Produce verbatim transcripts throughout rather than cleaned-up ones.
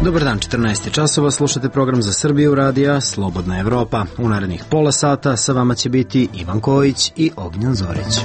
Dobar dan, četrnaest časova, slušate program za Srbiju radija Slobodna Evropa. U narednih pola sata sa vama će biti Ivan Kojić i Ognjan Zorić.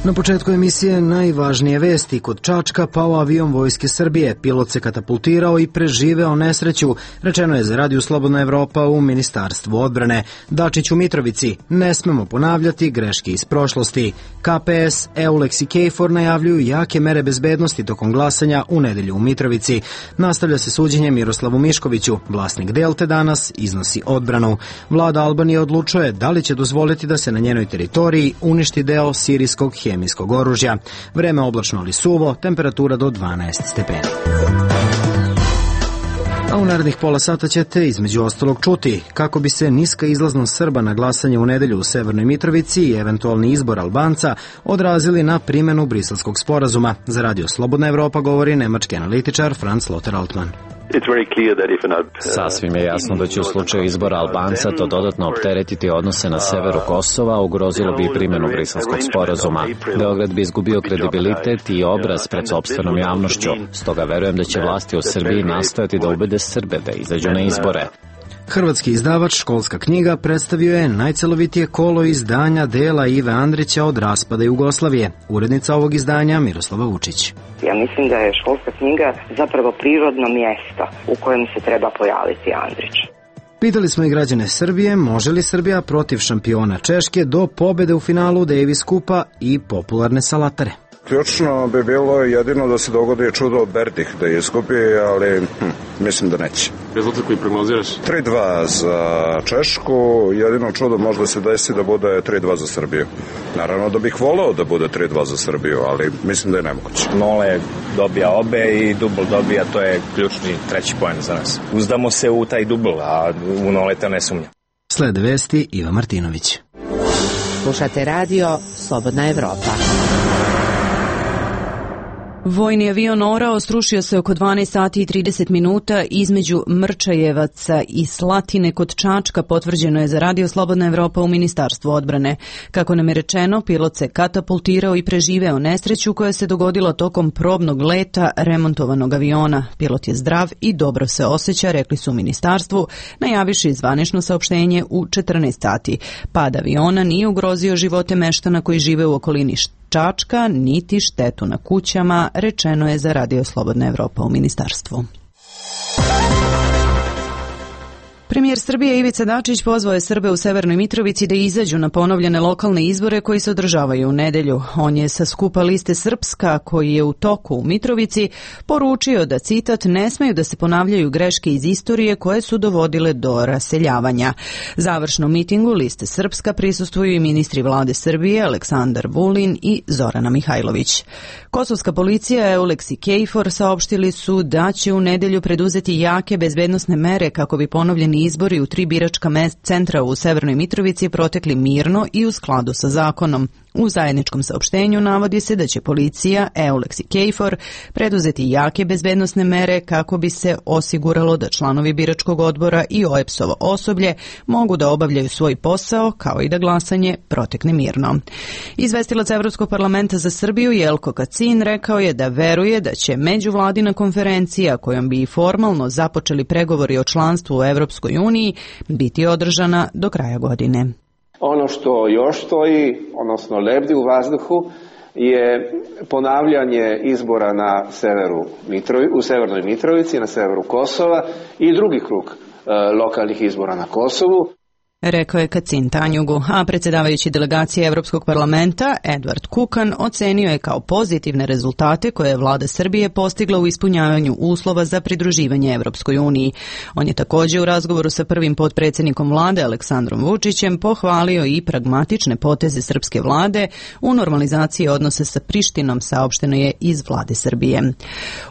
Na početku emisije najvažnije vesti. Kod Čačka pao avion Vojske Srbije. Pilot se katapultirao i preživeo nesreću, rečeno je za Radio Slobodna Evropa u Ministarstvu odbrane. Dačić u Mitrovici. Ne smemo ponavljati greške iz prošlosti. K P S, Eulex i Kejfor najavljuju jake mere bezbednosti tokom glasanja u nedelju u Mitrovici. Nastavlja se suđenje Miroslavu Miškoviću. Vlasnik Delte danas iznosi odbranu. Vlada Albanije odlučuje da li će dozvoliti da se na njenoj teritoriji uništi deo sirijskog hemijskog oružja. Vreme oblačno ali suvo, temperatura do dvanaest stepeni. A u narednih pola sata ćete između ostalog čuti kako bi se niska izlaznost Srba na glasanje u nedelju u Severnoj Mitrovici i eventualni izbor Albanca odrazili na primjenu Briselskog sporazuma. Za Radio Slobodna Evropa govori nemački analitičar Franz Lothar Altmann. Sasvim je jasno da će u slučaju izbora Albanca to dodatno opteretiti odnose na severu Kosova, ugrozilo bi i primjenu Briselskog sporazuma. Beograd bi izgubio kredibilitet i obraz pred sopstvenom javnošću. Stoga verujem da će vlasti u Srbiji nastojati da ubede Srbe da izađu na izbore. Hrvatski izdavač Školska knjiga predstavio je najcelovitije kolo izdanja dela Ive Andrića od raspada Jugoslavije. Urednica ovog izdanja Miroslava Vučić. Ja mislim da je Školska knjiga zapravo prirodno mjesto u kojem se treba pojaviti Andrić. Pitali smo i građane Srbije, može li Srbija protiv šampiona Češke do pobede u finalu Davis Kupa i popularne salatare? Ključno bi bilo jedino da se dogodi čudo Berdih da izgubi, ali hm, mislim da neće. Rezultat koji prognoziraš? tri dva za Češku, jedino čudo možda se desi da bude tri dva za Srbiju. Naravno da bih voleo da bude tri dva za Srbiju, ali mislim da je nemoguće. Nole dobija obe i dubl dobija, to je ključni treći poen za nas. Uzdamo se u taj dubl, a u Noleta ne sumnja. Slede vesti Iva Martinović. Slušate radio Slobodna Evropa. Vojni avion orao srušio se oko dvanaest sati i trideset minuta između Mrčajevaca i Slatine kod Čačka, potvrđeno je za Radio Slobodna Evropa u Ministarstvu odbrane. Kako nam je rečeno, pilot se katapultirao i preživeo nesreću koja se dogodila tokom probnog leta remontovanog aviona. Pilot je zdrav i dobro se osjeća, rekli su u Ministarstvu, najaviši zvanično saopštenje u četrnaest sati. Pad aviona nije ugrozio živote meštana koji žive u okolini Čačka, niti štetu na kućama, rečeno je za Radio Slobodna Evropa u Ministarstvu. Premijer Srbije Ivica Dačić pozvao je Srbe u Severnoj Mitrovici da izađu na ponovljene lokalne izbore koji se održavaju u nedelju. On je sa skupa liste Srpska, koji je u toku u Mitrovici, poručio da, citat, ne smeju da se ponavljaju greške iz istorije koje su dovodile do raseljavanja. Završnom mitingu liste Srpska prisustvuju i ministri vlade Srbije Aleksandar Vulin i Zorana Mihajlović. Kosovska policija, Eulex i Kejfor saopštili su da će u nedelju preduzeti jake bezbednosne mere kako bi ponovljeni izbori u tri biračka centra u Severnoj Mitrovici protekli mirno i u skladu sa zakonom. U zajedničkom saopštenju navodi se da će policija, Eulex i Kejfor preduzeti jake bezbednosne mere kako bi se osiguralo da članovi biračkog odbora i O E P S-ovo osoblje mogu da obavljaju svoj posao kao i da glasanje protekne mirno. Izvestilac Evropskog parlamenta za Srbiju Jelko Kacin rekao je da veruje da će međuvladina konferencija kojom bi i formalno započeli pregovori o članstvu u Evropskoj uniji biti održana do kraja godine. Ono što još stoji, odnosno lebdi u vazduhu, je ponavljanje izbora na severu Mitrovi, u Severnoj Mitrovici, na severu Kosova i drugi krug e, lokalnih izbora na Kosovu. Rekao je Kacin Tanjugu, a predsjedavajući delegacije Evropskog parlamenta Edvard Kukan ocenio je kao pozitivne rezultate koje je vlada Srbije postigla u ispunjavanju uslova za pridruživanje Evropskoj uniji. On je također u razgovoru sa prvim potpredsjednikom vlade Aleksandrom Vučićem pohvalio i pragmatične poteze srpske vlade u normalizaciji odnose sa Prištinom, saopšteno je iz vlade Srbije.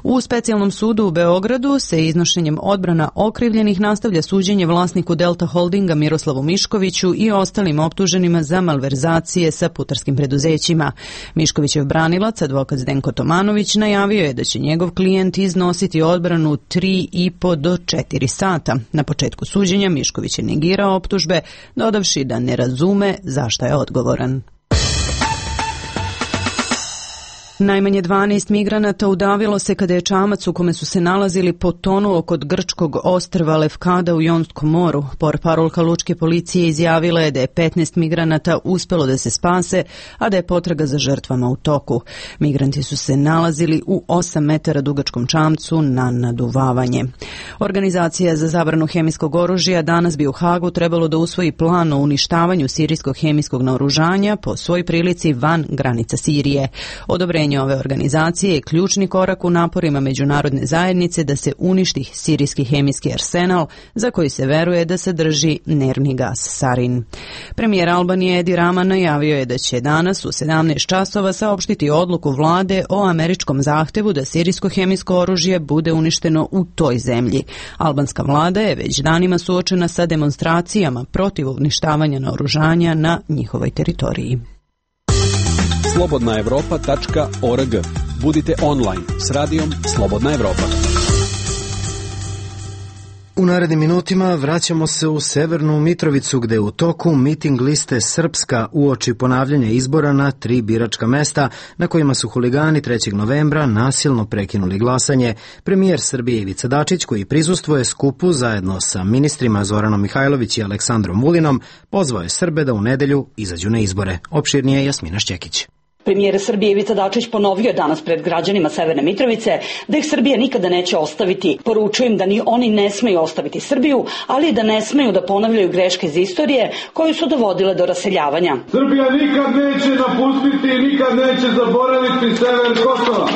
U specijalnom sudu u Beogradu se iznošenjem odbrana okrivljenih nastavlja suđenje vlasniku Delta Holdinga Miroslavu Miškoviću i ostalim optuženima za malverzacije sa putarskim preduzećima. Miškovićev branilac, advokat Zdenko Tomanović, najavio je da će njegov klijent iznositi odbranu tri i po do četiri sata. Na početku suđenja Mišković je negirao optužbe, dodavši da ne razume zašto je odgovoran. Najmanje dvanaest migranata udavilo se kada je čamac u kome su se nalazili potonuo kod grčkog ostrva Lefkada u Jonskom moru. Portparolka lučke policije izjavila je da je petnaest migranata uspelo da se spase, a da je potraga za žrtvama u toku. Migranti su se nalazili u osam metara dugačkom čamcu na naduvavanje. Organizacija za zabranu hemijskog oružja danas bi u Hagu trebalo da usvoji plan o uništavanju sirijskog hemijskog naoružanja po svoj prilici van granica Sirije. Odobrenje ove organizacije je ključni korak u naporima međunarodne zajednice da se uništi sirijski hemijski arsenal za koji se veruje da sadrži nervni gas sarin. Premijer Albanije Edi Rama najavio je da će danas u sedamnaest časova saopštiti odluku vlade o američkom zahtevu da sirijsko hemijsko oružje bude uništeno u toj zemlji. Albanska vlada je već danima suočena sa demonstracijama protiv uništavanja naoružanja na njihovoj teritoriji. slobodna evropa tačka org. Budite online s radijom Slobodna Evropa. U narednim minutima vraćamo se u Severnu Mitrovicu gde je u toku miting liste Srpska uoči ponavljanja izbora na tri biračka mesta na kojima su huligani trećeg novembra nasilno prekinuli glasanje. Premijer Srbije Ivica Dačić, koji prisustvuje skupu zajedno sa ministrima Zoranom Mihajlović i Aleksandrom Vulinom, pozvao je Srbe da u nedelju izađu na izbore. Opširnije Jasmina Šćekić. Premijer Srbije Ivica Dačić ponovio je danas pred građanima Severne Mitrovice da ih Srbija nikada neće ostaviti. Poručuju im da ni oni ne smeju ostaviti Srbiju, ali i da ne smeju da ponavljaju greške iz istorije koje su dovodile do raseljavanja. Srbija nikad neće napustiti i nikad neće zaboraviti sever Kosova.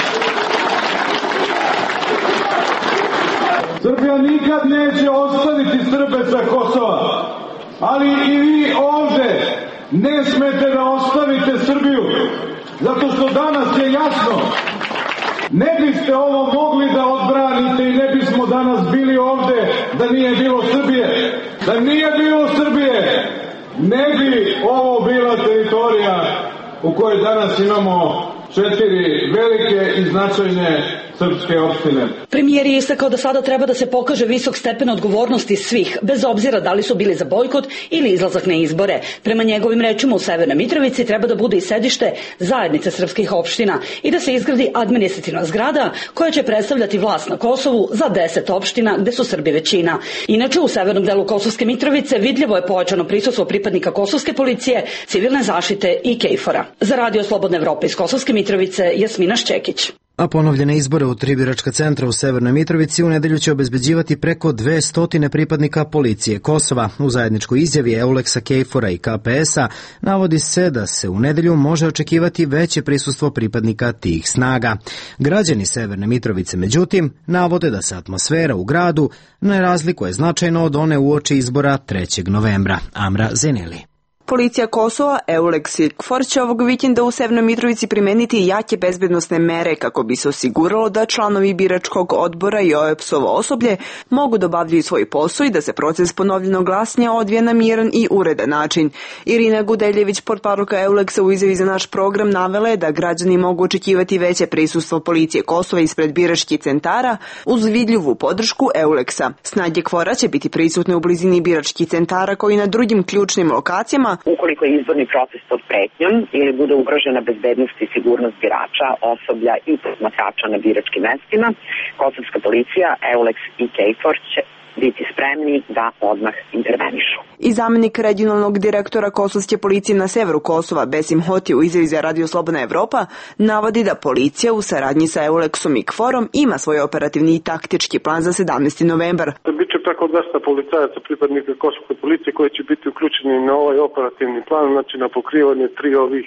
Srbija nikad neće ostaviti Srbe sa Kosova, ali i vi ovde ne smete da ostavite Srbiju, zato što danas je jasno, ne biste ovo mogli da odbranite i ne bismo danas bili ovde da nije bilo Srbije. Da nije bilo Srbije, ne bi ovo bila teritorija u kojoj danas imamo četiri velike i značajne srpske opštine. Premijer je istakao da sada treba da se pokaže visok stepen odgovornosti svih, bez obzira da li su bili za bojkot ili izlazak na izbore. Prema njegovim rečima u Severnoj Mitrovici treba da bude i sedište zajednice srpskih opština i da se izgradi administrativna zgrada koja će predstavljati vlast na Kosovu za deset opština gde su Srbi većina. Inače, u severnom delu Kosovske Mitrovice vidljivo je pojačano prisustvo pripadnika kosovske policije, civilne zaštite i KFOR-a. Za Radio Slobodne Evrope iz Kosovske Mitrovice, Jasmina Šćekić. A ponovljene izbore u tri biračka centra u Severnoj Mitrovici u nedelju će obezbeđivati preko dvesta pripadnika policije Kosova. U zajedničkoj izjavi Euleksa, KFOR-a i K P S-a navodi se da se u nedelju može očekivati veće prisustvo pripadnika tih snaga. Građani Severne Mitrovice, međutim, navode da se atmosfera u gradu ne razlikuje značajno od one uoči izbora trećeg novembra. Amra Zeneli. Policija Kosova, Euleks i KFOR će ovog vikenda u Severnoj Mitrovici primeniti jake bezbednosne mere kako bi se osiguralo da članovi biračkog odbora i O E P S-ovo osoblje mogu da obavljaju svoj posao i da se proces ponovljenog glasanja odvija na miran i uredan način. Irina Gudeljević, portparolka Euleksa, u izjavi za naš program navela je da građani mogu očekivati veće prisustvo policije Kosova ispred biračkih centara uz vidljivu podršku Euleksa. Snage KFOR-a će biti prisutne u blizini biračkih centara kao i na drugim ključnim lokacijama. Ukoliko je izborni proces pod pretnjom ili bude ugrožena bezbednost i sigurnost birača, osoblja i posmatrača na biračkim mestima, kosovska policija, Euleks i KFOR će biti spremni da odmah intervenišu. I zamenik regionalnog direktora kosovske policije na severu Kosova, Besim Hoti, u izjavi za Radio Slobodna Evropa, navodi da policija u saradnji sa Euleksom i KFOR-om ima svoj operativni i taktički plan za sedamnaesti novembar. Biće preko dvesta policajaca pripadnika kosovske policije koji će biti uključeni na ovaj operativni plan, znači na pokrivanje tri ovih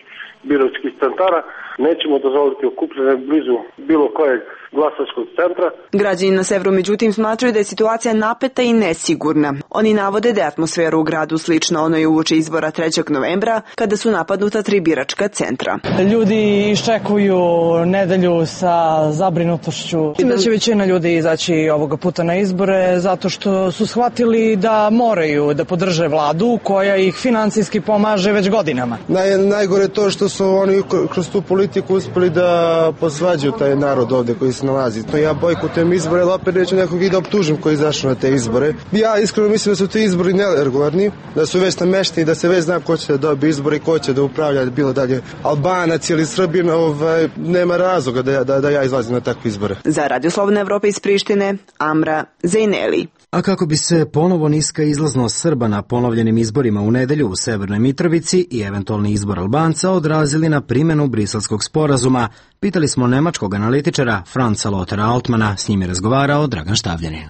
biračkih centara. Nećemo dozvoliti okupljanje blizu bilo kojeg glasačkog centra. Građani na severu međutim smatraju da je situacija napeta i nesigurna. Oni navode da je atmosfera u gradu slična onoj uoči izbora trećeg novembra kada su napadnuta tri biračka centra. Ljudi iščekuju nedelju sa zabrinutošću. Mislim da će većina ljudi izaći ovoga puta na izbore zato što su shvatili da moraju da podrže vladu koja ih finansijski pomaže već godinama. Naj, najgore je to što su oni kroz tu politiku uspeli da posvađaju taj narod ovde koji se nalazi. To ja bojkotujem izbore, ali opet neću nekog i da optužim koji je izašao na te te izbore. Ja iskreno mislim da su ti izbori neregularni, da su već namešteni, da se već zna ko će da dobije izbore i ko će da upravlja, bilo dalje Albanac ili Srbin, ovaj, nema razloga da ja, da, da ja izlazim na takve izbore. Za Radio Slobodna Evropa iz Prištine, Amra Zejneli. A kako bi se ponovo niska izlaznost Srba na ponovljenim izborima u nedelju u Severnoj Mitrovici i eventualni izbor Albanca odrazili na primjenu Briselskog sporazuma, pitali smo nemačkog analitičara Franza Lothara Altmana, s njim je razgovarao Dragan Štavljanin.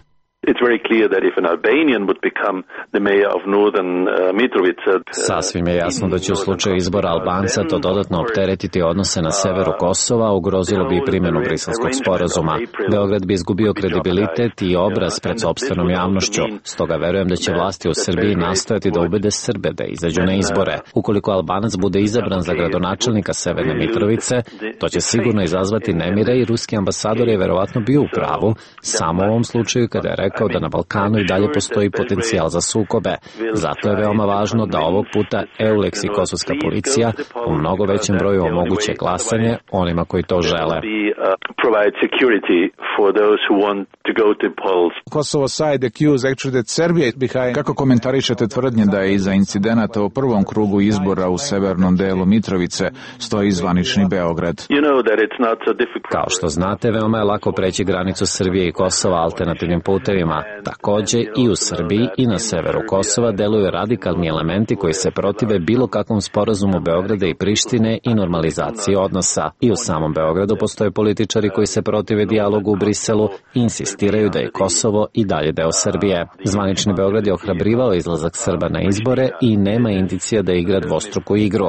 Sasvim je jasno da će u slučaju izbora Albanca to dodatno opteretiti odnose na severu Kosova, ugrozilo bi i primjenu Briselskog sporazuma. Beograd bi izgubio kredibilitet i obraz pred sopstvenom javnošću, stoga verujem da će vlasti u Srbiji nastojati da ubede Srbe da izađu na izbore. Ukoliko Albanac bude izabran za gradonačelnika Severne Mitrovice, to će sigurno izazvati nemire i ruski ambasador je verovatno bio u pravu, samo u ovom slučaju kada je rekao da na Balkanu i dalje postoji potencijal za sukobe. Zato je veoma važno da ovog puta EULEX i kosovska policija u mnogo većem broju omoguće glasanje onima koji to žele. Kosovo side accused actually that Serbia is behind. Kako komentarišete tvrdnje da je iza incidenata u prvom krugu izbora u severnom delu Mitrovice stoji zvanični Beograd? Kao što znate, veoma je lako preći granicu Srbije i Kosova alternativnim putevima. Takođe i u Srbiji i na severu Kosova deluju radikalni elementi koji se protive bilo kakvom sporazumu Beograda i Prištine i normalizaciji odnosa. I u samom Beogradu postoje političari koji se protive dijalogu u Briselu i insistiraju da je Kosovo i dalje deo Srbije. Zvanični Beograd je ohrabrivao izlazak Srba na izbore i nema indicija da igra dvostruku igru.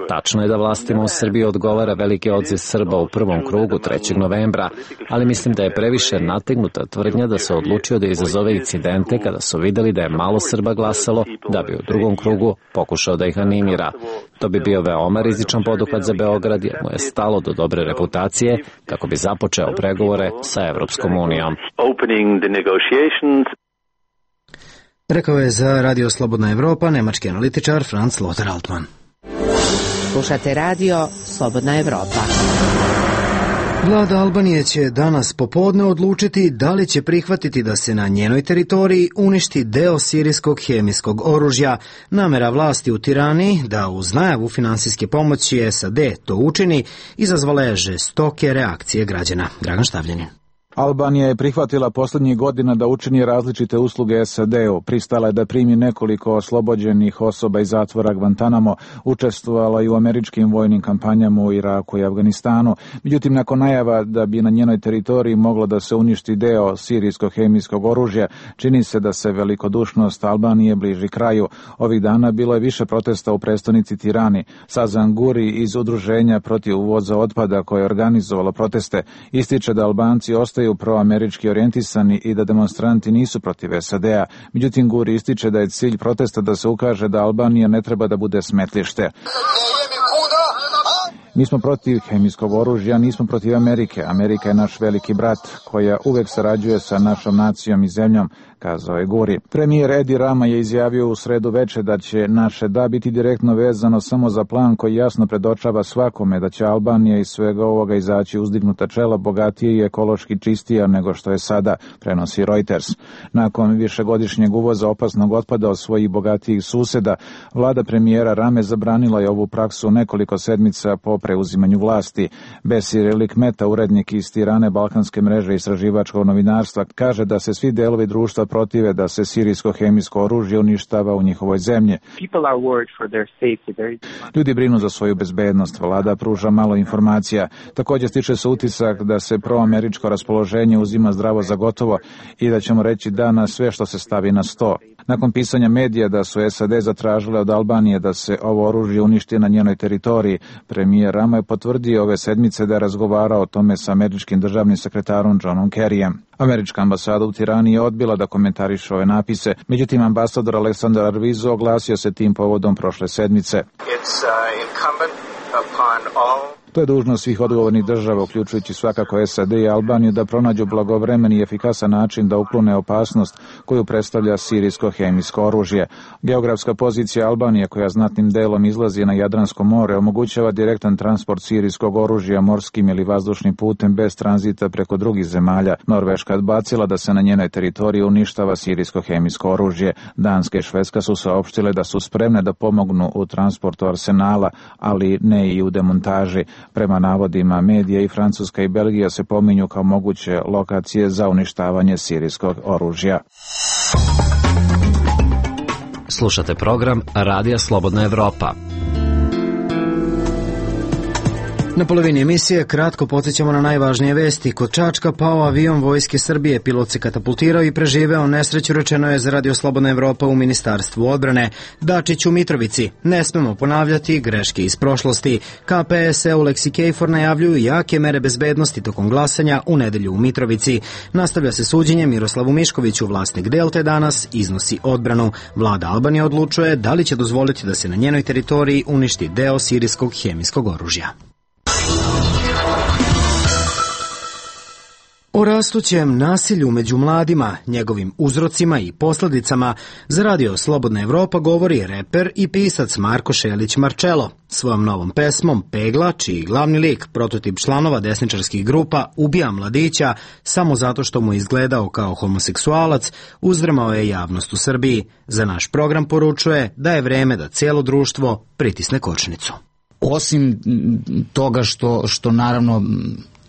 Tačno je da vlastima u Srbiji odgovara veliki odziv Srba u prvom krugu trećeg novembra, ali mislim da je previše nategnuta tvrdnja da se odlučio da izazove incidente kada su videli da je malo Srba glasalo, da bi u drugom krugu pokušao da ih animira. To bi bio veoma rizičan poduhvat za Beograd jer mu je stalo do dobre reputacije kako bi započeo pregovore sa Evropskom unijom. Rekao je za Radio Slobodna Evropa nemački analitičar Franz Lothar Altman. Slušate Radio Slobodna Evropa. Vlada Albanije će danas popodne odlučiti da li će prihvatiti da se na njenoj teritoriji uništi deo sirijskog hemijskog oružja. Namera vlasti u Tirani da uz najavu finansijske pomoći S A D to učini izazvala je žestoke reakcije građana. Dragan Štavljanin. Albanija je prihvatila posljednjih godina da učini različite usluge S A D-u. Pristala je da primi nekoliko oslobođenih osoba iz zatvora Guantanamo, učestvovala i u američkim vojnim kampanjama u Iraku i Afganistanu. Međutim, nakon najava da bi na njenoj teritoriji moglo da se uništi deo sirijskog hemijskog oružja, čini se da se velikodušnost Albanije bliži kraju. Ovih dana bilo je više protesta u prestonici Tirani. Sazan Guri iz udruženja protiv uvoza otpada koje je organizovalo proteste ističe da Albanci ostaju proamerički orijentisani i da demonstranti nisu protiv S A D-a. Međutim, Guri ističe da je cilj protesta da se ukaže da Albanija ne treba da bude smetlište. Mi smo protiv hemijskog oružja, nismo protiv Amerike. Amerika je naš veliki brat koja uvek sarađuje sa našom nacijom i zemljom, kazao je Guri. Premijer Edi Rama je izjavio u sredu veče da će naše da biti direktno vezano samo za plan koji jasno predočava svakome da će Albanija iz svega ovoga izaći uzdignuta čela, bogatije i ekološki čistija nego što je sada, prenosi Reuters. Nakon višegodišnjeg uvoza opasnog otpada od svojih bogatijih suseda, vlada premijera Rame zabranila je ovu praksu nekoliko sedmica po preuzimanju vlasti. Besir Likmeta, urednik iz Tirane balkanske mreže istraživačkog novinarstva, kaže da se svi delovi društva protive da se sirijsko hemijsko oružje uništava u njihovoj zemlji. Ljudi brinu za svoju bezbednost, vlada pruža malo informacija. Također stiče se utisak da se proameričko raspoloženje uzima zdravo za gotovo i da ćemo reći da na sve što se stavi na sto. Nakon pisanja medija da su S A D zatražile od Albanije da se ovo oružje uništi na njenoj teritoriji, premijer Rama je potvrdio ove sedmice da je razgovarao o tome sa američkim državnim sekretarom Johnom Kerryjem. Američka ambasada u Tirani je odbila da komentariše ove napise, međutim ambasador Aleksandar Arvizo oglasio se tim povodom prošle sedmice. To je dužnost svih odgovornih država, uključujući svakako S A D i Albaniju, da pronađu blagovremen i efikasan način da uklone opasnost koju predstavlja sirijsko hemijsko oružje. Geografska pozicija Albanije, koja znatnim delom izlazi na Jadransko more, omogućava direktan transport sirijskog oružja morskim ili vazdušnim putem bez tranzita preko drugih zemalja. Norveška je odbacila da se na njenoj teritoriji uništava sirijsko hemijsko oružje. Danska i Švedska su saopštile da su spremne da pomognu u transportu arsenala, ali ne i u demontaži. Prema navodima medija, i Francuska i Belgija se pominju kao moguće lokacije za uništavanje sirijskog oružja. Slušate program Radija Slobodna Evropa. Na polovini emisije kratko podsjećamo na najvažnije vesti. Kod Čačka pao avion Vojske Srbije, pilot se katapultirao i preživeo nesreću, rečeno je za Radio Slobodna Evropa u Ministarstvu odbrane. Dačić u Mitrovici: ne smemo ponavljati greške iz prošlosti. K P S, Eulex i Kejfor najavljuju jake mere bezbednosti tokom glasanja u nedelju u Mitrovici. Nastavlja se suđenje Miroslavu Miškoviću, vlasnik Delte danas iznosi odbranu. Vlada Albanije odlučuje da li će dozvoliti da se na njenoj teritoriji uništi deo sirijskog hemijskog oružja. O rastućem nasilju među mladima, njegovim uzrocima i posledicama, za Radio Slobodna Evropa govori reper i pisac Marko Šelić Marčelo. Svojom novom pesmom Pegla, čiji glavni lik, prototip članova desničarskih grupa, ubija mladića samo zato što mu izgledao kao homoseksualac, uzdrmao je javnost u Srbiji. Za naš program poručuje da je vreme da cijelo društvo pritisne kočnicu. Osim toga što, što naravno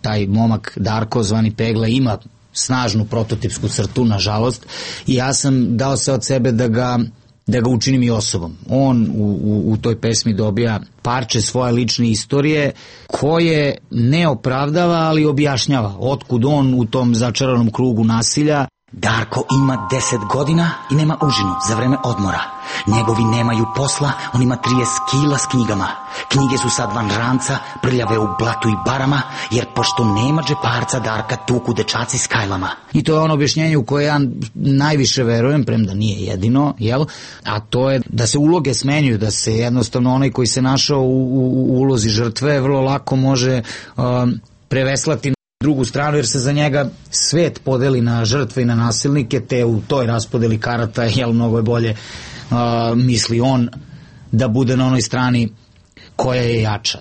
taj momak Darko zvani Pegla ima snažnu prototipsku crtu, nažalost, i ja sam dao se od sebe da ga, da ga učinim i osobom. On u, u, u toj pesmi dobija parče svoje lične istorije koje ne opravdava, ali objašnjava otkud on u tom začaranom krugu nasilja. Darko ima deset godina i nema užinu za vreme odmora. Njegovi nemaju posla, on ima trideset kila s knjigama. Knjige su sad van ranca, prljave u blatu i barama, jer pošto nema džeparca, Darka tuku dečaci s kajlama. I to je ono objašnjenje u koje ja najviše verujem, premda nije jedino, jel? A to je da se uloge smenjuju, da se jednostavno onaj koji se našao u, u, u ulozi žrtve vrlo lako može um, preveslati drugu stranu, jer se za njega svet podeli na žrtve i na nasilnike, te u toj raspodeli karata, jel, mnogo je bolje uh, misli on da bude na onoj strani koja je jača.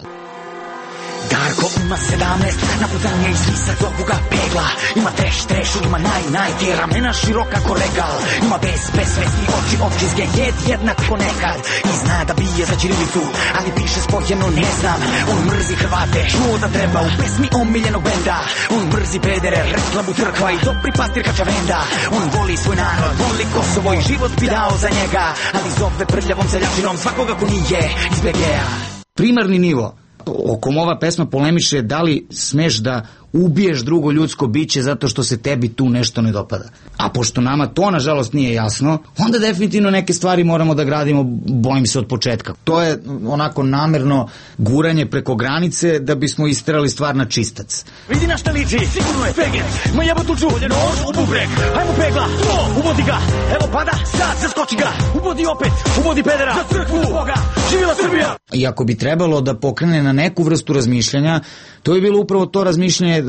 Darko ima sedamnaest, naputan je iz lisa zovu ga Pegla. Ima treš, trešu, ima naj, naj, te ramena široka ko regal. Ima bez, bez svesti oči, općizge, jed jednak ko nekad. I zna da bije za ćirilicu, ali piše spojeno ne znam. On mrzi Hrvate, čuo da treba u pesmi omiljenog benda. On mrzi pedere, reklamu crkva i dobri pastir Kačavenda. On voli svoj narod, voli Kosovo i život bi dao za njega. Ali zove prljavom seljačinom svakoga ko nije iz B G-a. Primarni nivo o kom ova pesma polemiše, da li smeš da ubiješ drugo ljudsko biće zato što se tebi tu nešto ne dopada. A pošto nama to nažalost nije jasno, onda definitivno neke stvari moramo da gradimo, bojim se, od početka. To je onako namerno guranje preko granice da bismo isterali stvar na čistac. Vidi na šta liči, sigurno je Peget, ma jebo tu ču, nož u bubreg, hajmo Pegla, to, uvodi ga, evo pada, sad zaskoči ga, uvodi opet, uvodi pedera, za crkvu Boga, živjela Srbija. I ako bi trebalo da pokrene na neku vrstu razmišljanja, to je bilo upravo to razmišljanje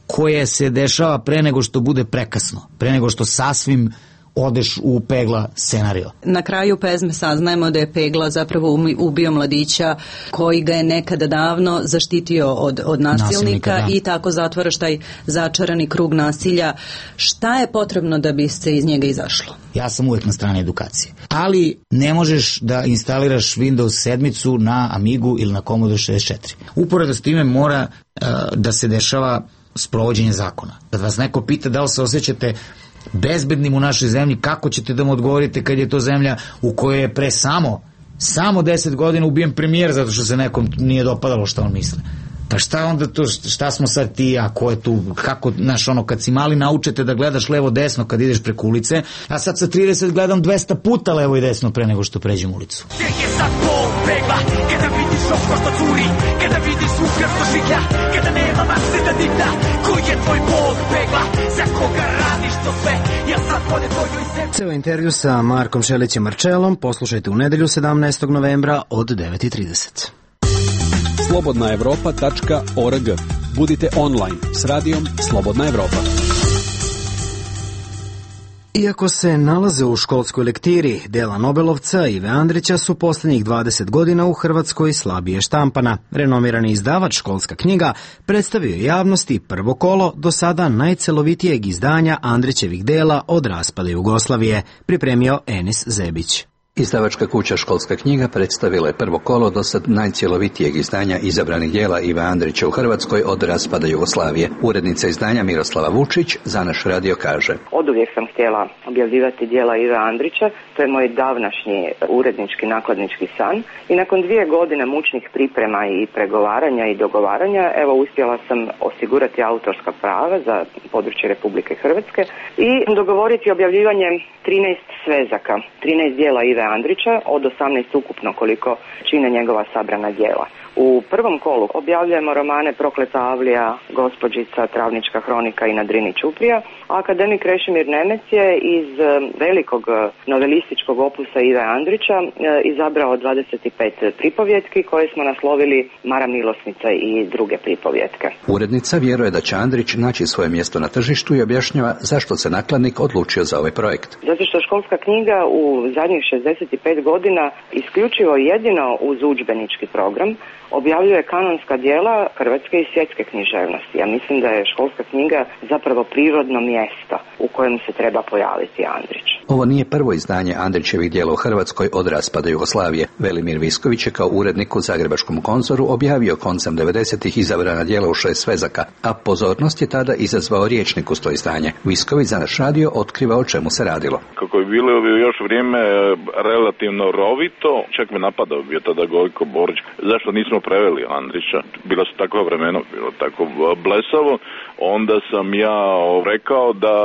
koje se dešava pre nego što bude prekasno, pre nego što sasvim odeš u Pegla scenario. Na kraju pesme saznajemo da je Pegla zapravo ubio mladića koji ga je nekada davno zaštitio od, od nasilnika, nasilnika, i tako zatvaraš taj začarani krug nasilja. Šta je potrebno da bi se iz njega izašlo? Ja sam uvek na strani edukacije. Ali ne možeš da instaliraš Windows sedmicu na Amigu ili na Commodore šezdeset četiri. Uporedo s time mora uh, da se dešava sprovođenje zakona. Kad vas neko pita da li se osjećate bezbednim u našoj zemlji, kako ćete da mu odgovorite kad je to zemlja u kojoj je pre samo samo deset godina ubijen premijer zato što se nekom nije dopadalo šta on misle. Pa šta onda to, šta smo sad ti, a ko je tu, kako, znaš, ono, kad si mali naučete da gledaš levo desno kad ideš preko ulice, a sad sa trideset gledam dvesta puta levo i desno pre nego što pređem ulicu. Gdje je sad Bog Pegla, kada vidiš oko što curi, kada vidiš u krv što šiklja, kada nema mašte da dikta, ko je tvoj Bog Pegla, za koga radiš to sve, ja sad vode tvoju i sebi. Ceo intervju sa Markom Šelićem Marčelom poslušajte u nedelju sedamnaestog novembra od devet i trideset. slobodna evropa tačka org. Budite online s radijom Slobodna Evropa. Iako se nalaze u školskoj lektiri, dela Nobelovca Ive Andrića su posljednjih dvadeset godina u Hrvatskoj slabije štampana. Renomirani izdavač Školska knjiga predstavio je javnosti prvo kolo do sada najcelovitijeg izdanja Andrićevih dela od raspada Jugoslavije, pripremio Enis Zebić. Izdavačka kuća Školska knjiga predstavila je prvo kolo do sad najcjelovitijeg izdanja izabranih dijela Ive Andrića u Hrvatskoj od raspada Jugoslavije. Urednica izdanja Miroslava Vučić za naš radio kaže: Oduvijek sam htjela objavljivati dijela Ive Andrića, to je moj davnašnji urednički nakladnički san i nakon dvije godine mučnih priprema i pregovaranja i dogovaranja, evo uspjela sam osigurati autorska prava za područje Republike Hrvatske i dogovoriti objavljivanje trinaest svezaka, trinaest dijela Ive Andrića od osamnaest ukupno koliko čine njegova sabrana djela. U prvom kolu objavljujemo romane Prokleta Avlija, Gospođica, Travnička hronika i Na Drini Ćuprija, a akademik Krešimir Nemec je iz velikog novelističkog opusa Ive Andrića izabrao dvadeset pet pripovjetki koje smo naslovili Mara Milosnica i druge pripovjetke. Urednica vjeruje da će Andrić naći svoje mjesto na tržištu i objašnjava zašto se nakladnik odlučio za ovaj projekt. Zato što Školska knjiga u zadnjih šezdeset pet godina isključivo jedino uz udžbenički program objavljuje kanonska djela hrvatske i svjetske književnosti. Ja mislim da je Školska knjiga zapravo prirodno mjesto u kojem se treba pojaviti Andrić. Ovo nije prvo izdanje Andrićevih djela u Hrvatskoj od raspada Jugoslavije. Velimir Visković je kao urednik u Zagrebačkom konzoru objavio koncem devedesetih izabrana djela u šest svezaka, a pozornost je tada izazvao rječnik uz to izdanje. Visković za naš radio otkriva o čemu se radilo. Kako je bilo još vrijeme relativno rovito, čak me napadao bio tada Gojko Borić. Zašto nismo preveli Andrića? Bila su takva vremena, bilo tako blesavo. Onda sam ja rekao da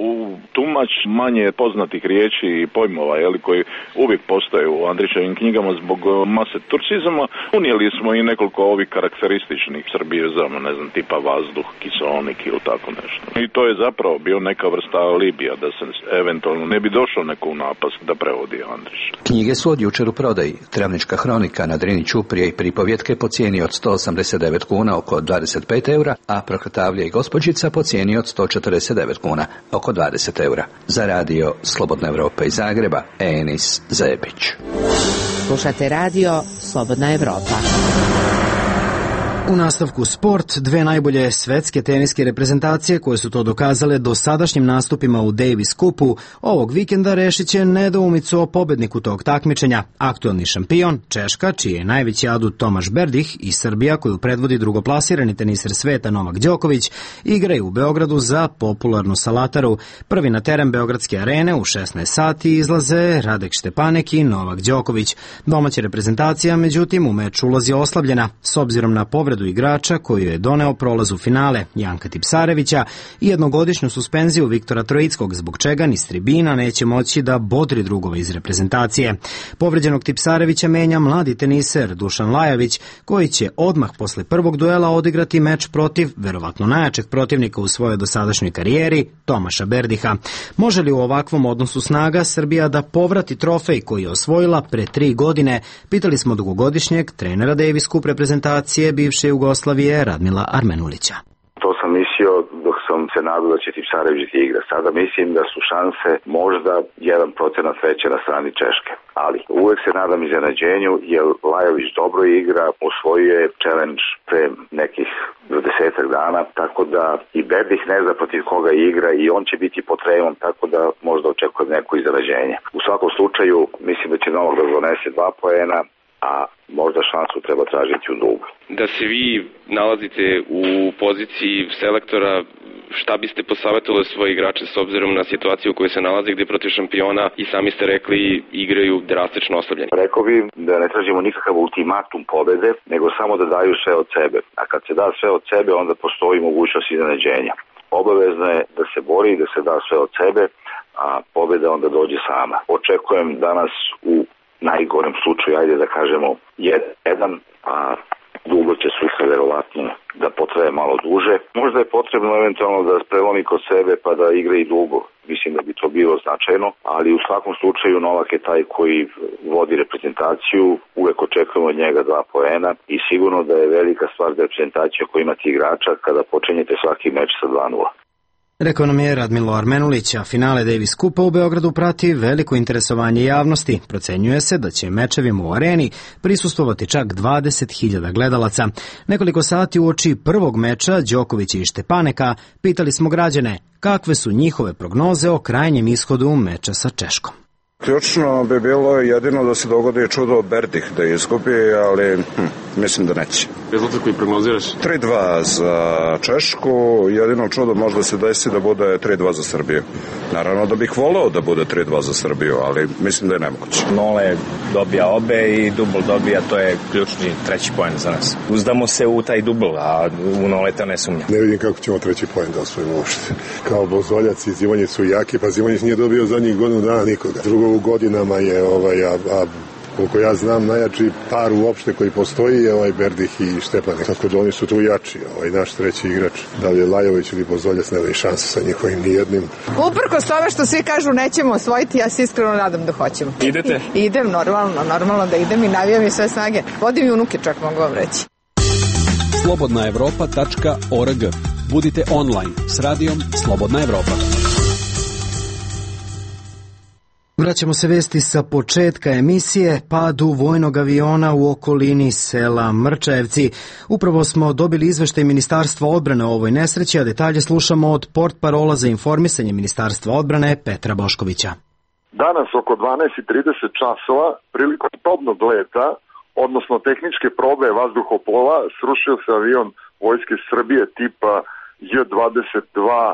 u tumač manje poznatih riječi i pojmova, jeli, koji uvijek postoje u Andrićevim knjigama zbog mase turcizama, unijeli smo i nekoliko ovih karakterističnih srbijezama, ne znam, tipa vazduh, kiseonik ili tako nešto. I to je zapravo bio neka vrsta alibija da se eventualno ne bi došao neko u napast da prevodi Andrić. Knjige su od jučer u prodaji. Travnička hronika, Na Drini Ćuprije i pripovjetke po cijeni od sto osamdeset devet kuna, oko dvadeset pet eura, a Prokleta Avlija i Gospođica po cijeni od sto četrdeset devet kuna, oko dvadeset eura. Za radio Slobodna Evropa iz Zagreba, Enis Zebić. Slušate radio Slobodna Evropa. U nastavku sport, dve najbolje svetske teniske reprezentacije koje su to dokazale dosadašnjim nastupima u Davis Cupu ovog vikenda rešit će nedoumicu o pobedniku tog takmičenja. Aktuelni šampion, Češka, čiji je najveći adut Tomaš Berdih, i Srbija, koju predvodi drugoplasirani teniser sveta Novak Đoković, igraju u Beogradu za popularnu Salataru. Prvi na teren Beogradske arene u šesnaest sati izlaze Radek Štepanek i Novak Đoković. Domaća reprezentacija, međutim, u meč ulazi oslabljena, s obzirom na povredu igrača koju je doneo prolaz u finale Janka Tipsarevića i jednogodišnju suspenziju Viktora Trojickog, zbog čega ni s tribina neće moći da bodri drugove iz reprezentacije. Povređenog Tipsarevića menja mladi teniser Dušan Lajović, koji će odmah posle prvog duela odigrati meč protiv verovatno najjačeg protivnika u svojoj dosadašnjoj karijeri, Tomaša Berdiha. Može li u ovakvom odnosu snaga Srbija da povrati trofej koji je osvojila pre tri godine? Pitali smo dugogodišnjeg trenera Davis Cup reprezentacije bivše Jugoslavije Radmila Armenulića. To sam mislio dok sam se nadao da će Tipsarević igra. Sada mislim da su šanse možda jedan procenat veće na strani Češke. Ali uvek se nadam iznenađenju, jer Lajović dobro igra, osvojio je challenge pre nekih desetak dana, tako da i Berdih ne zna protiv koga igra i on će biti pod tremom, tako da možda očekujem neko iznenađenje. U svakom slučaju mislim da će Novak da donese dva poena, a možda šansu treba tražiti u dublu. Da se vi nalazite u poziciji selektora, šta biste posavjetovali svoje igrače s obzirom na situaciju u kojoj se nalaze, gdje protiv šampiona i sami ste rekli igraju drastično oslabljeni? Rekao bi da ne tražimo nikakav ultimatum pobede, nego samo da daju sve od sebe. A kad se da sve od sebe, onda postoji mogućnost iznenađenja. Obavezno je da se bori i da se da sve od sebe, a pobeda onda dođe sama. Očekujem danas u najgorem slučaju, ajde da kažemo, jedan, a dugo će suša verovatno da potraje malo duže. Možda je potrebno eventualno da prelomi kod sebe pa da igra i dugo. Mislim da bi to bilo značajno, ali u svakom slučaju Novak je taj koji vodi reprezentaciju, uvek očekujemo od njega dva poena i sigurno da je velika stvar da reprezentacija koja ima ti igrača kada počinjete svaki meč sa dva nula. Rekao nam je Radmilo Armenulić, a finale Davis Kupa u Beogradu prati veliko interesovanje javnosti. Procenjuje se da će mečevima u areni prisustvovati čak dvadeset hiljada gledalaca. Nekoliko sati uoči prvog meča Đokovića i Štepaneka pitali smo građane kakve su njihove prognoze o krajnjem ishodu meča sa Češkom. Ključno bi bilo jedino da se dogodi čudo Berdih da izgubi, ali hm, mislim da neće. Rezultat koji prognoziraš? tri dva za Češku, jedino čudo možda se desi da bude tri dva za Srbiju. Naravno da bih voleo da bude tri dva za Srbiju, ali mislim da je nemoguće. Nole dobija obe i dubl dobija, to je ključni treći poen za nas. Uzdamo se u taj dubl, a u Noleta ne sumnja. Ne vidim kako ćemo treći poen da osvojimo uopšte. Kao Bozoljac i Zimonjić su jaki, pa Zimonjić nije dobio zadnjih godinu dana nikoga. Drugo u godinama je, ovaj, a, a koliko ja znam, najjači par uopšte koji postoji je ovaj Berdih i Štepanek. Tako da oni su tu jači, ovaj naš treći igrač. Da li je Lajović ili Bozoljac, nema i šanse sa njihovim nijednim. Uprkos tome što svi kažu nećemo osvojiti, ja se iskreno nadam da hoćemo. Idete? I, idem, normalno, normalno da idem i navijam i sve snage. Vodim i unuke čak, mogu vam reći. slobodna evropa tačka org. Budite online s radijom Slobodna Evropa. Vraćamo se vesti sa početka emisije, padu vojnog aviona u okolini sela Mrčajevci. Upravo smo dobili izveštaj Ministarstva odbrane o ovoj nesreći, a detalje slušamo od portparola za informisanje Ministarstva odbrane Petra Boškovića. Danas oko dvanaest i trideset časova prilikom probnog leta, odnosno tehničke probe vazduhoplova, srušio se avion Vojske Srbije tipa J dvadeset dva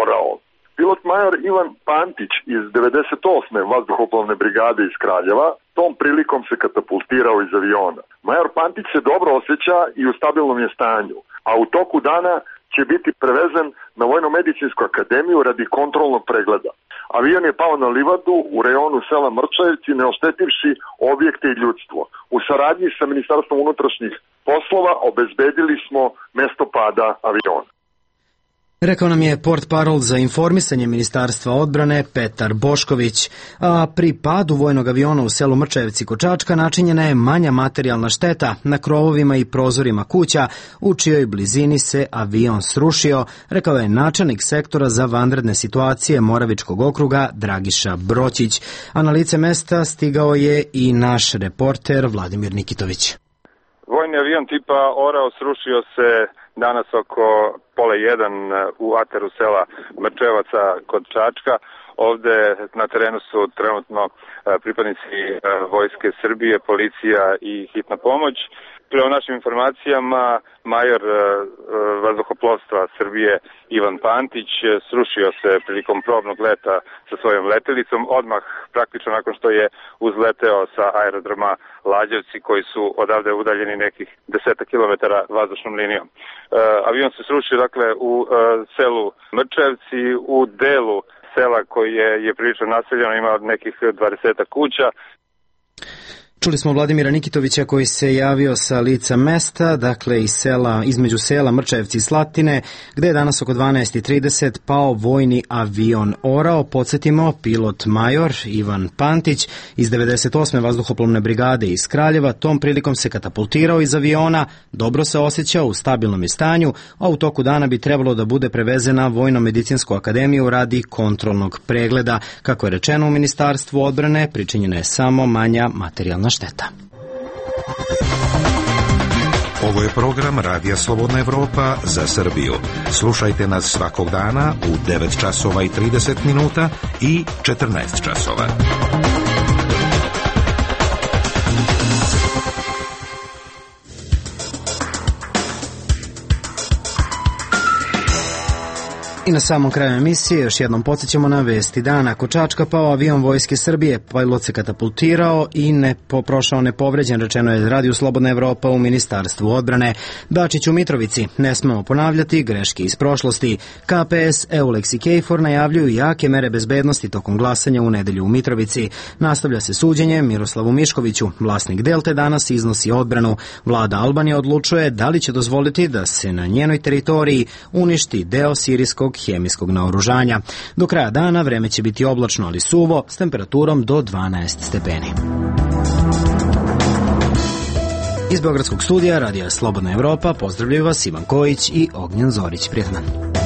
Orao. Pilot major Ivan Pantić iz devedeset osme vazduhoplovne brigade iz Kraljeva tom prilikom se katapultirao iz aviona. Major Pantić se dobro osjeća i u stabilnom je stanju, a u toku dana će biti prevezen na Vojno-medicinsku akademiju radi kontrolnog pregleda. Avion je pao na livadu u rejonu sela Mrčajevci, ne oštetivši objekte i ljudstvo. U saradnji sa Ministarstvom unutrašnjih poslova obezbedili smo mesto pada aviona. Rekao nam je portparol za informisanje Ministarstva odbrane Petar Bošković, a pri padu vojnog aviona u selu Mrčajevci kod Čačka načinjena je manja materijalna šteta na krovovima i prozorima kuća, u čijoj blizini se avion srušio, rekao je načelnik sektora za vanredne situacije Moravičkog okruga Dragiša Broćić, a na lice mesta stigao je i naš reporter Vladimir Nikitović. Vojni avion tipa Orao srušio se danas oko pola jedan u ataru sela Mrčevaca kod Čačka. Ovde na terenu su trenutno pripadnici Vojske Srbije, policija i hitna pomoć. Prema našim informacijama, major vazduhoplovstva Srbije Ivan Pantić srušio se prilikom probnog leta sa svojom letelicom, odmah praktično nakon što je uzleteo sa aerodroma Lađevci, koji su odavde udaljeni nekih deseta kilometara vazdušnom linijom. Avion se srušio dakle u selu Mrčevci, u delu sela koji je, je prilično naseljeno, ima nekih dvadeseta kuća. Čuli smo Vladimira Nikitovića koji se javio sa lica mesta, dakle iz sela, između sela Mrčajevci i Slatine, gde je danas oko dvanaest i trideset pao vojni avion Orao. Podsjetimo, pilot major Ivan Pantić iz devedeset osme vazduhoplovne brigade iz Kraljeva tom prilikom se katapultirao iz aviona, dobro se osjećao, u stabilnom je stanju, a u toku dana bi trebalo da bude prevezen na Vojno-medicinsku akademiju radi kontrolnog pregleda. Kako je rečeno u Ministarstvu odbrane, pričinjena je samo manja materijalna šteta. Ovo je program Radija Slobodna Evropa za Srbiju. Slušajte nas svakog dana u devet časova i trideset minuta i četrnaest časova. I na samom kraju emisije još jednom podsjećamo na vesti dana. Kod Čačka pao avion Vojske Srbije, pilot se katapultirao i ne poprošao nepovređen, rečeno je Radiju Slobodna Evropa u Ministarstvu odbrane. Dačić u Mitrovici, ne smemo ponavljati greške iz prošlosti. K P S, Eulex i Kejfor najavljuju jake mere bezbednosti tokom glasanja u nedelju u Mitrovici. Nastavlja se suđenje Miroslavu Miškoviću. Vlasnik Delte danas iznosi odbranu. Vlada Albanije odlučuje da li će dozvoliti da se na njenoj teritoriji uništi deo sirijskog hemijskog naoružanja. Do kraja dana vreme će biti oblačno, ali suvo, s temperaturom do dvanaest stepeni. Iz Beogradskog studija Radija Slobodna Evropa pozdravljaju vas Ivan Kojić i Ognjen Zorić. Prijetan dan.